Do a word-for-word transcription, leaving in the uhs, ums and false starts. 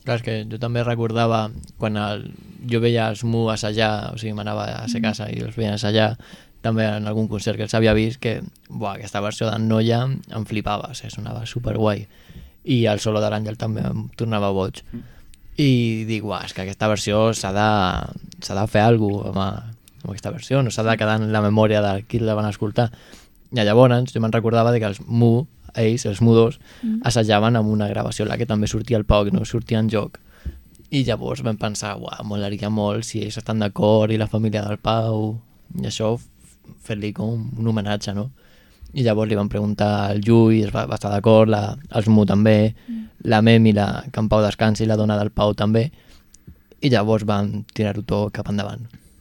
Clar, és que jo també recordava quan el, jo veia els Mu assajar, o sigui, m'anava a ser casa i els veia assajar, també en algun concert que els havia vist, que buah, aquesta versió d'en Noia em flipava, o sigui, sonava superguai. I el solo de l'Àngel també em tornava boig. I dic, uah, és que aquesta versió s'ha de, s'ha de fer alguna cosa amb, amb aquesta versió, no s'ha de quedar en la memòria de qui la van escoltar. I llavors jo me'n recordava de que els Mu, ells, els mudos, mm. assajaven amb una gravació en la que també sortia el Pau, que no sortia en joc. I llavors vam pensar, uah, molaria molt si ells estan d'acord i la família del Pau, i això fer-li com un homenatge, no? I llavors li van preguntar al Llull, es va, va estar d'acord, els Mu també, mm. la Memi, la, que en Pau descansi, la dona del Pau també, i llavors van tirar-ho tot cap endavant.